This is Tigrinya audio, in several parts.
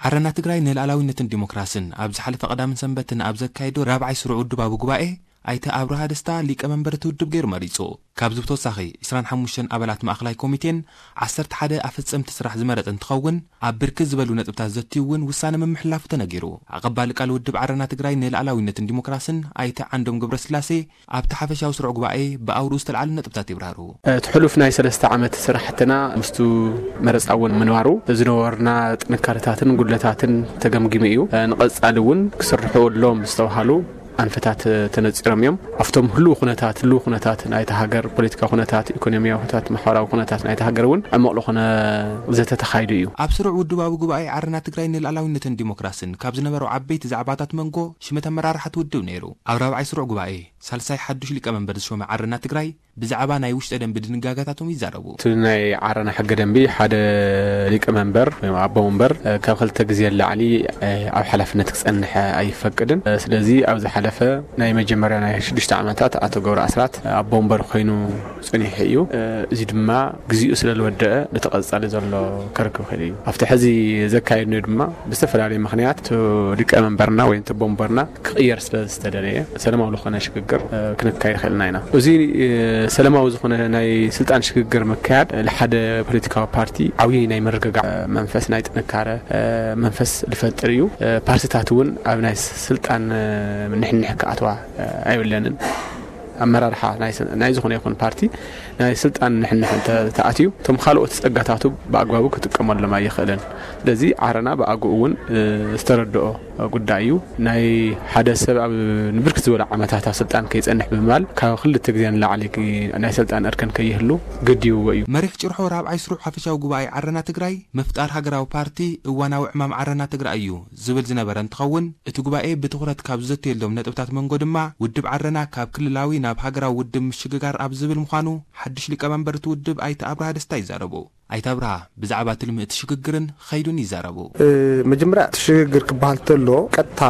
ዓረና ትግራይ ንልኣላዊነትን ዲሞክራስን ኣብ ዝሓለፈ ቀዳምን ሰንበትን ኣብ ዘካየዶ ራብዓይ ስሩዕ ውድባዊ ጉባኤ ኣይተ ኣብርሃ ደስታ ሊቀመንበር እቲ ውድብ ገይሩ መሪጹ። ካብዚ ብተወሳኺ ዕስራን ሓሙሽተን ኣባላት ማእኸላይ ኮሚቴን ዓሰርተ ሓደ ኣፈጸምቲ ስራሕ ዝመረጸ እንትኸውን፣ ኣብ ብርክት ዝበሉ ነጥብታት ዘትዩ እውን ውሳነ ምምሕላፉ ተነጊሩ። ኣቐባሊ ቃል ውድብ ዓረና ትግራይ ንልኣላዊነትን ዲሞክራስን ኣይተ ዓንዶም ገብረስላሴ ኣብቲ ሓፈሻዊ ስሩዕ ጉባኤ ብኣውርኡ ዝተልዓሉ ነጥብታት ይብራሩ። እቲ ሕሉፍ ናይ ሰለስተ ዓመት ስራሕትና ምስቱ መረፃ እውን ምንባሩ ዝነበሩና ጥንካረታትን ጉድለታትን ተገምጊሙ እዩ። ንቐፃሊ እውን ክስርሑ ኣለዎም ዝተባሃሉ ኣንፈታት ተነፂሮም እዮም። ኣብቶም ህልው ኩነታት፣ ህልው ኩነታት ናይቲ ሃገር ፖለቲካዊ ኩነታት፣ ኢኮኖሚያዊ ኩነታት፣ ማሕበራዊ ኩነታት ናይቲ ሃገር እውን ዕሙቕ ዝኾነ ዘተ ተኻይዱ እዩ። ኣብ ስሩዕ ውድባዊ ጉባኤ ዓረና ትግራይ ንልኣላዊነትን ዲሞክራስን ካብ ዝነበሩ ዓበይቲ ዛዕባታት መንጎ ሽመት ኣመራርሓ እቲ ውድብ ነይሩ። ኣብ ራብዓይ ስሩዕ ጉባኤ ሳልሳይ ሓዱሽ ሊቀመንበር ዝሾመ ዓረና ትግራይ ብዛዕባ ናይ ውሽጠ ደንቢ ድንጋጋታቶም ይዛረቡ። እቲ ናይ ዓረና ሕገ ደንቢ ሓደ ሊቀመንበር ወይ ኣቦ ወንበር፣ እ፣ ካብ ክልተ ግዜ ንላዕሊ፣ እ፣ ኣብ ሓላፍነት ክጸንሕ ኣይፈቅድን። እ፣ ስለዚ ኣብ ዝሓለፈ ናይ መጀመርያ ናይ ሽዱሽተ ዓመታት ኣቶ ገብረ ኣስራት፣ እ፣ ኣቦ ወንበር ኮይኑ ጸኒሑ እዩ። እ፣ እዚ ድማ ግዜኡ ስለ ዝወደአ ነቲ ቀጻሊ ዘሎ ከርክብ ይኽእል እዩ። ኣብቲ ሕዚ ዘካየድናዮ ድማ ብዝተፈላለየ ምኽንያት እቲ ሊቀመንበርና ወይ እቲ ኣቦ ወንበርና ክቕየር ስለ ዝተደለየ ሰላማዊ ዝኾነ ሽግግር፣ እ፣ ክንካየድ ኽእልና ኢና። እዚ፣ እ፣ ሰላማዊ ዝኾነ ናይ ስልጣን ሽግግር ምክያድ፣ እ፣ ንሓደ ፖለቲካዊ ፓርቲ ዓብዪ ናይ ምርግጋዕ፣ እ፣ መንፈስ፣ ናይ ጥንካረ፣ እ፣ መንፈስ ዝፈጥር እዩ። እ፣ ፓርቲታት እውን ኣብ ናይ ስልጣን፣ እ፣ ንሕንሕ ክኣትዋ፣ እ፣ ኣይብለንን። ኣመራርሓ ናይ ስ-፣ ናይ ዝኾነ ይኹን ፓርቲ ናይ ስልጣን ንሕንሕ እንተ ተኣትዩ፣ እቶም ካልኦት ጸጋታቱ ብኣግባቡ ክጥቀመሎም ኣይኽእልን። ስለዚ ዓረና ብኣግኡ እውን፣ እ፣ ዝተረድኦ ጉዳይ እዩ። ናይ ሓደ ሰብ ኣብ ንብርክት ዝበለ ዓመታት ኣብ ስልጣን ከይጸንሕ ብምባል፣ ካብ ክልተ ግዜ ንላዕሊ ክ-፣ ናይ ስልጣን እርከን ከይህሉ ገዲብዎ እዩ። መሪሕ ጭርሖ ራብዓይ ስሩዕ ሓፈሻዊ ጉባኤ ዓረና ትግራይ፣ ምፍጣር ሃገራዊ ፓርቲ፣ እዋናዊ ዕማም ዓረና ትግራይ እዩ ዝብል ዝነበረ እንትኸውን፣ እቲ ጉባኤ ብትኹረት ካብ ዝዘተየሎም ነጥብታት መንጎ ድማ፣ ውድብ ዓረና ካብ ክልላዊ ናብ ሃገራዊ ውድብ ምሽግጋር ኣብ ዝብል ምዃኑ፣ ሓድሽ ሊቀመንበር እቲ ውድብ ኣይተ ኣብርሃ ደስታ ይዛረቡ። ኣይተ ኣብርሃ ብዛዕባ ትልሚ እቲ ሽግግርን ኸይዱን ይዛረቡ። እ፣ መጀመርያ እቲ ሽግግር ክበሃል ተሎ ቀጥታ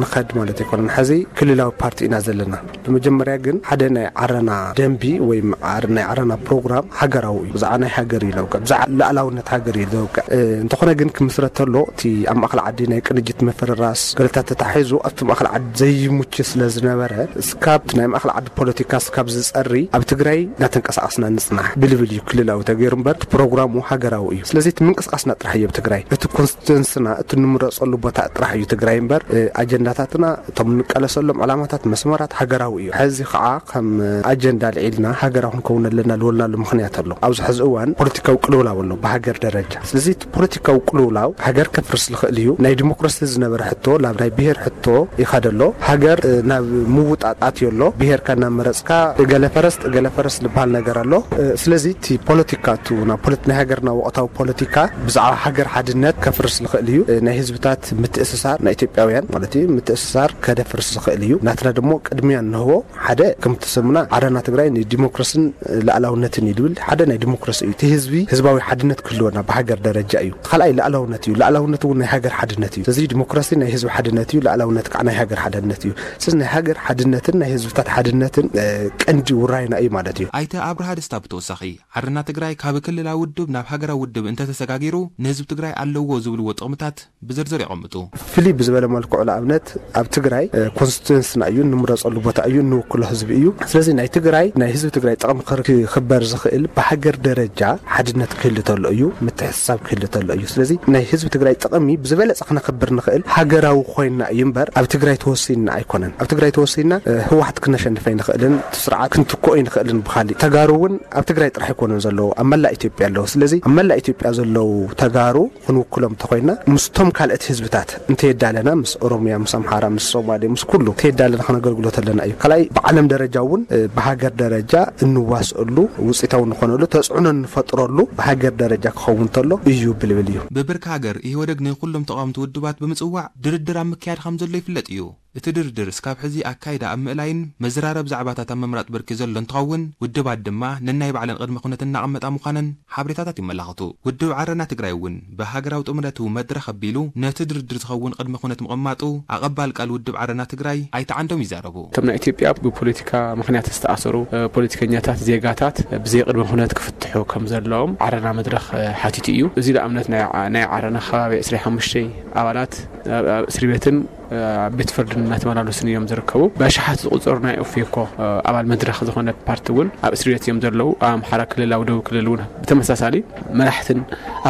ንኸድ ማለት ኣይኮነን። ሕዚ ክልላዊ ፓርቲ ኢና ዘለና። ብመጀመርያ ግን ሓደ ናይ ዓረና ደንቢ ወይ ዓር-፣ ናይ ዓረና ፕሮግራም ሃገራዊ እዩ። ብዛዕባ ናይ ሃገር እዩ ዘውቅዕ፣ ብዛዕባ ልኣላውነት ሃገር እዩ ዘውቅዕ። እ፣ እንተኾነ ግን ክምስረት ተሎ እቲ ኣብ ማእኸል ዓዲ ናይ ቅንጅት ምፍርራስ ገለታት ተታሒዙ ኣብቲ ማእኸል ዓዲ ዘይምቹ ስለ ዝነበረ እስካብ ናይ ማእኸል ዓዲ ፖለቲካ እስካብ ዝጸሪ ኣብ ትግራይ እናተንቀሳቐስና ንጽናሕ ብልብል እዩ ክልላዊ ተገይሩ እምበር እቲ ፕሮግራሙ ሃገራዊ እዩ። ስለዚ እቲ ምንቅስቃስና ጥራሕ እዩ ኣብ ትግራይ፣ እቲ ኮንስቲትዌንስና እቲ ንምረጸሉ ቦታ ጥራሕ እዩ ትግራይ እምበር፣ እ፣ ኣጀንዳታትና እቶም እንቃለሰሎም ዕላማታት መስመራት ሃገራዊ እዩ። ሕዚ ከዓ ከም ኣጀንዳ ልዒልና ሃገራዊ ክንከውን ኣለና ልበልናሉ ምኽንያት ኣሎ። ኣብዚ ሕዚ እዋን ፖለቲካዊ ቅልውላው ኣሎ ብሃገር ደረጃ። ስለዚ እቲ ፖለቲካዊ ቅልውላው ሃገር ከፍርስ ዝኽእል እዩ። ናይ ዲሞክራሲ ዝነበረ ሕቶ ናብ ናይ ብሄር ሕቶ ይኸድ ኣሎ። ሃገር፣ እ፣ ናብ ምውጣጥ ኣትዮ ኣሎ። ብሄርካ እናመረጽካ እገለ ፈረስ እገለ ፈረስ ዝበሃል ነገር ኣሎ። እ፣ ስለዚ እቲ ፖለቲካ እቱ ናብ ፖለቲ-፣ ናይ ሃገርና ወቕታዊ ፖለቲካ ብዛዕባ ሃገር ሓድነት ከፍርስ ዝኽእል እዩ። እ፣ ናይ ህዝብታት ምትእስሳር ናይ ኢትዮጵያውያን ማለት እዩ ምትእስሳር ከደፍርስ ዝኽእል እዩ። ናትና ደሞ ቅድሚያ እንህቦ ሓደ ከምቲ ስምና ዓረና ትግራይ ንዲሞክራስን ልኣላውነትን እዩ ዝብል ሓደ ናይ ዲሞክራሲ እዩ። እቲ ህዝቢ ህዝባዊ ሓድነት ክህልወና ብሃገር ደረጃ እዩ። እቲ ካልኣይ ልኣላውነት እዩ። ልኣላውነት እውን ናይ ሃገር ሓድነት እዩ። ስለዚ ዲሞክራሲ ናይ ህዝቢ ሓድነት እዩ፣ ልኣላውነት ከዓ ናይ ሃገር ሓድነት እዩ። ስለዚ ናይ ሃገር ሓድነትን ናይ ህዝብታት ሓድነትን፣ እ፣ ቀንዲ ውራይና እዩ ማለት እዩ። ኣይተ ኣብርሃ ደስታ ብተወሳኺ ዓረና ትግራይ ካብ ክልላዊ ውድብ ናብ ሃገራዊ ውድብ እንተተሰጋጊሩ ንህዝቢ ትግራይ ኣለዎ ዝብልዎ ጥቕምታት ብዝርዝር የቐምጡ። ፍልይ ብዝበለ መልክዑ ንኣብነት ኣብ ትግራይ፣ እ፣ ኮንስቲትዌንስና እዩ፣ እንምረፀሉ ቦታ እዩ፣ እንውክሎ ህዝቢ እዩ። ስለዚ ናይ ትግራይ፣ ናይ ህዝቢ ትግራይ ጥቕሚ ክር-፣ ክኽበር ዝኽእል ብሃገር ደረጃ ሓድነት ክህሉ ተሎ እዩ፣ ምትሕስሳብ ክህሉ ተሎ እዩ። ስለዚ ናይ ህዝቢ ትግራይ ጥቕሚ ብዝበለፀ ክነኽብር ንኽእል ሃገራዊ ኮይንና እዩ እምበር ኣብ ትግራይ ተወሲንና ኣይኮነን። ኣብ ትግራይ ተወሲንና፣ እ፣ ህወሓት ክነሸንፍ ኣይንኽእልን፣ እቲ ስርዓት ክንትክኦ ኣይንኽእልን ብኻሊእ። ተጋሩ እውን ኣብ ትግራይ ጥራሕ ኣይኮነን ዘለዉ፣ ኣብ መላእ ኢትዮጵያ ኣለዉ። ስለዚ ኣብ መላእ ኢትዮጵያ ዘለዉ ተጋሩ ክንውክሎም እንተኾይና ምስቶም ካልኦት ህዝብታት እንተየዳለና ምስ ኦሮሚያ፣ ምስ ኣምሓራ፣ ምስ ሶማሌ፣ ምስ ኩሉ እንተየዳለና ከነገልግሎ ተለና እዩ። ካልኣይ ብዓለም ደረጃ እውን፣ እ፣ ብሃገር ደረጃ እንዋስእሉ ውፅኢታዊ እንኾነሉ ተፅዕኖ እንፈጥረሉ ብሃገር ደረጃ ክኸውን ተሎ እዩ ብልብል እዩ። ብብርኪ ሃገር ኢህወደግ ንኩሎም ተቓወምቲ ውድባት ብምፅዋዕ ድርድር ኣብ ምክያድ ከም ዘሎ ይፍለጥ እዩ። እቲ ድርድር እስካብ ሕዚ ኣካይዳ ኣብ ምእላይን መዘራረብ ዛዕባታት ኣብ ምምራጥ ብርኪ ዘሎ እንትኸውን፣ ውድባት ድማ ነናይ ባዕለን ቅድመ ኩነት እናቐመጣ ምዃነን ሓበሬታታት ይመላኽቱ። ውድብ ዓረና ትግራይ እውን ብሃገራዊ ጥምረቱ መድረኽ ኣቢሉ ነቲ ድርድር ዝኸውን ቅድመ ኩነት ምቕማጡ ኣቐባል ቃል ውድብ ዓረና ትግራይ ኣይተ ዓንዶም ይዛረቡ። እቶም ናይ ኢትዮጵያ ብፖለቲካ ምኽንያት ዝተኣሰሩ፣ እ፣ ፖለቲከኛታት፣ ዜጋታት ብዘይ ቅድመ ኩነት ክፍትሑ ከም ዘለዎም ዓረና መድረኽ፣ እ፣ ሓቲቱ እዩ። እዚ ንኣብነት ናይ ዓ-፣ ናይ ዓረና ከባቢ ዕስራ ሓሙሽተ ኣባላት ኣብ፣ ኣብ እስሪ ቤትን፣ እ፣ ኣብ ቤት ፍርድን እናተመላለሱን እዮም ዝርከቡ። ብኣሽሓት ዝቑጸሩ ናይ ኦፌኮ፣ እ፣ ኣባል መድረኽ ዝኾነ ፓርቲ እውን ኣብ እስሪ ቤት እዮም ዘለዉ። ኣብ ኣምሓራ ክልል፣ ኣብ ደቡብ ክልል እውን ብተመሳሳሊ መራሕትን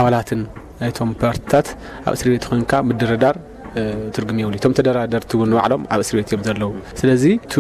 ኣባላትን ናይቶም ፓርትታት ኣብ እስሪ ቤት ኮይንካ ምድርዳር፣ እ፣ ትርጉም የብሉ። እቶም ተደራደርቲ እውን ንባዕሎም ኣብ እስሪ ቤት እዮም ዘለዉ። ስለዚ እቱ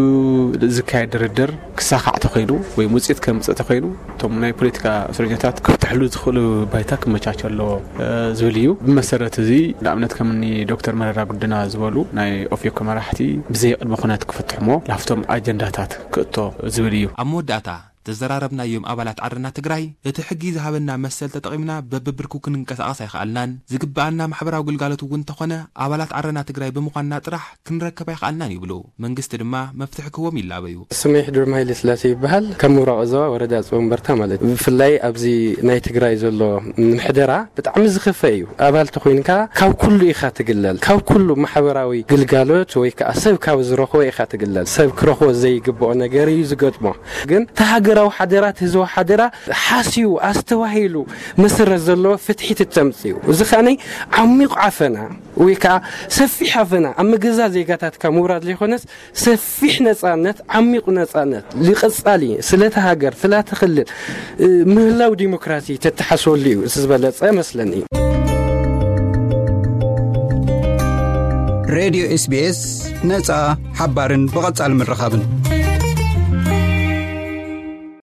ዝካየድ ድርድር ክሳኻዕ ተኾይኑ ወይ ውፅኢት ከምፅእ ተኾይኑ እቶም ናይ ፖለቲካ እስረኛታት ክፍትሕሉ ዝኽእሉ ባይታ ክመቻቸ ኣለዎ፣ እ፣ ዝብል እዩ። ብመሰረት እዚ ንኣብነት ከምኒ ዶክተር መረራ ጉድና ዝበሉ ናይ ኦፌኮ መራሕቲ ብዘይ ቅድመ ኩነት ክፍትሕሞ ላፍቶም ኣጀንዳታት ክእቶ ዝብል እዩ። ኣብ መወዳእታ ተዘራረብናዮም ኣባላት ዓረና ትግራይ፣ እቲ ሕጊ ዝሃበና መሰል ተጠቒምና በብብርኩ ክንንቀሳቐስ ኣይኸኣልናን። ዝግበኣና ማሕበራዊ ግልጋሎት እውን እንተኾነ ኣባላት ዓረና ትግራይ ብምዃንና ጥራሕ ክንረከብ ኣይኸኣልናን ይብሉ። መንግስቲ ድማ መፍትሒ ክህቦም ይላበዩ። ስመይ ሕዱር ሃይለ ስላሴ ይበሃል። ካብ ምብራቕ እዞባ ወረዳ ጽወንበርታ ማለት እዩ። ብፍላይ ኣብዚ ናይ ትግራይ ዘሎ ምሕደራ ብጣዕሚ ዝኸፈ እዩ። ኣባል ተኾይንካ ካብ ኩሉ ኢኻ ትግለል። ካብ ኩሉ ማሕበራዊ ግልጋሎት ወይ ከዓ ሰብ ካብ ዝረኽቦ ኢኻ ትግለል። ሰብ ክረኽቦ ዘይግብኦ ነገር እዩ ዝገጥሞ። ግን እቲ ሃገራዊ ሓደራ፣ እቲ ህዝባዊ ሓደራ ሓስዩ ኣስተባሂሉ መሰረት ዘለዎ ፍትሒ ትተምፅኡ። እዚ ከዓኒ ዓሚቑ ዓፈና ወይ ከዓ ሰፊሕ ዓፈና ኣብ መገዛ ዜጋታትካ ምውራድ ዘይኮነስ ሰፊሕ ነፃነት፣ ዓሚቑ ነፃነት፣ ልቐፃሊ ስለቲ ሃገር፣ ስለቲ ክልል፣ እ፣ ምህላው ዲሞክራሲ ተተሓስበሉ እዩ። እዚ ዝበለፀ መስለኒ። ሬድዮ ኤስ ቢ ኤስ ነፃ፣ ሓባርን ብቐፃሊ ምርኻብን።